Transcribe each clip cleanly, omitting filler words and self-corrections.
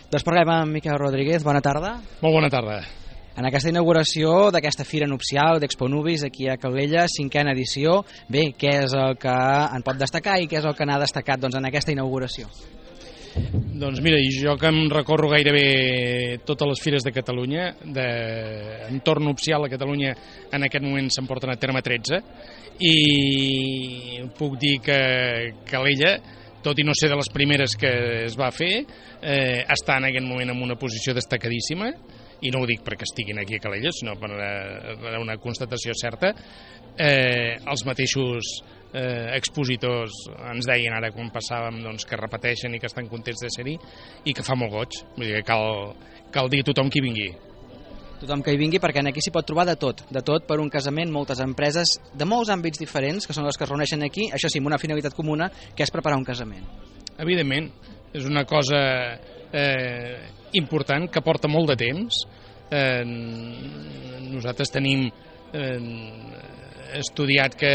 Doncs parlem amb Miquel Rodríguez, bona tarda. Molt bona tarda. En aquesta inauguració d'aquesta fira nupcial d'Expo Nubis aquí a Calella, 5a edició, bé, què és el que en pot destacar i què és el que n'ha destacat en aquesta inauguració? Doncs mira, jo que em recorro gairebé totes les fires de Catalunya, d'entorn nupcial a Catalunya en aquest moment se'n porten a terme 13, i puc dir que Calella, tot i no ser de les primeres que es va fer, està en aquest moment en una posició destacadíssima, i no ho dic perquè estiguin aquí a Calella, sinó per una constatació certa. Els mateixos expositors ens deien ara quan passàvem que repeteixen i que estan contents de ser-hi i que fa molt goig, vull dir que cal dir a tothom qui vingui. Tothom que hi vingui, perquè aquí s'hi pot trobar de tot per un casament, moltes empreses de molts àmbits diferents, que són les que es reuneixen aquí, això sí, amb una finalitat comuna, que és preparar un casament. Evidentment, és una cosa important que porta molt de temps. Nosaltres tenim estudiat que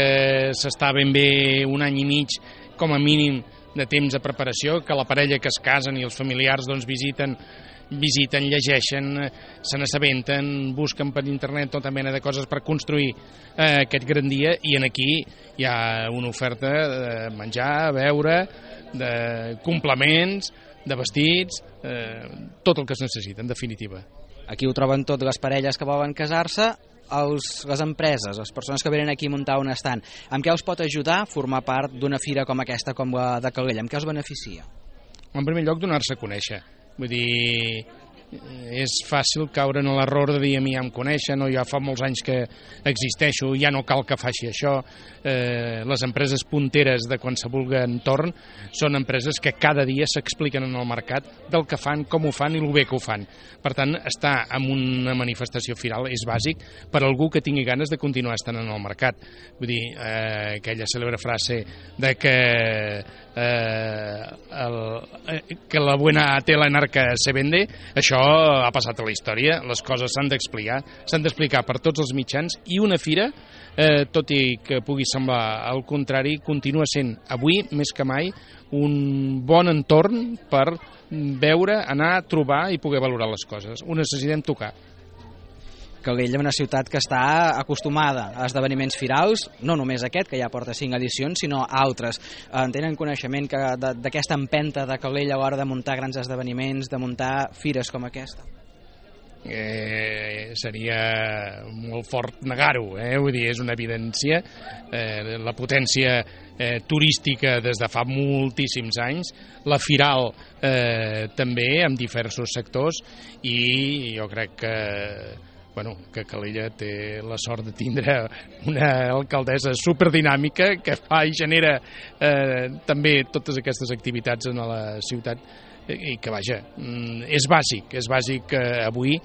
s'està ben bé un any i mig com a mínim de temps de preparació, que la parella que es casen i els familiars visiten, llegeixen, se n'assabenten, busquen per internet tota mena de coses per construir aquest gran dia, i aquí hi ha una oferta de menjar, beure, de complements, de vestits, tot el que es necessita, en definitiva. Aquí ho troben tot, les parelles que volen casar-se, les empreses, les persones que venen aquí a muntar un estand. Amb què els pot ajudar a formar part d'una fira com aquesta, com la de Calella? Amb què els beneficia? En primer lloc, donar-se a conèixer. Vull dir, és fàcil caure en l'error de dir a mi ja em coneixen o ja fa molts anys que existeixo, ja no cal que faci això. Les empreses punteres de qualsevol entorn són empreses que cada dia s'expliquen en el mercat del que fan, com ho fan i el bé que ho fan. Per tant, estar en una manifestació firal és bàsic per a algú que tingui ganes de continuar estant en el mercat. Vull dir, aquella cèlebre frase de que la buena tela en arca se vende, això ha passat a la història, les coses s'han d'explicar per tots els mitjans, i una fira, tot i que pugui semblar al contrari, continua sent avui més que mai un bon entorn per veure, anar, trobar i poder valorar les coses. Ho necessitem tocar. Calella, una ciutat que està acostumada a esdeveniments firals, no només aquest, que ja porta 5 edicions, sinó altres. Tenen coneixement d'aquesta empenta de Calella a l'hora de muntar grans esdeveniments, de muntar fires com aquesta? Seria molt fort negar-ho, vull dir, és una evidència. La potència turística des de fa moltíssims anys, la firal també, en diversos sectors, i jo crec que Calella té la sort de tindre una alcaldessa superdinàmica que fa i genera també totes aquestes activitats en la ciutat, i que vaja, és bàsic avui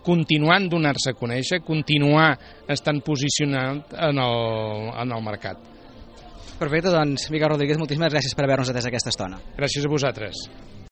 continuar en donar-se a conèixer, continuar estant posicionat en el mercat. Perfecte, doncs Miquel Rodríguez, moltíssimes gràcies per haver-nos atès aquesta estona. Gràcies a vosaltres.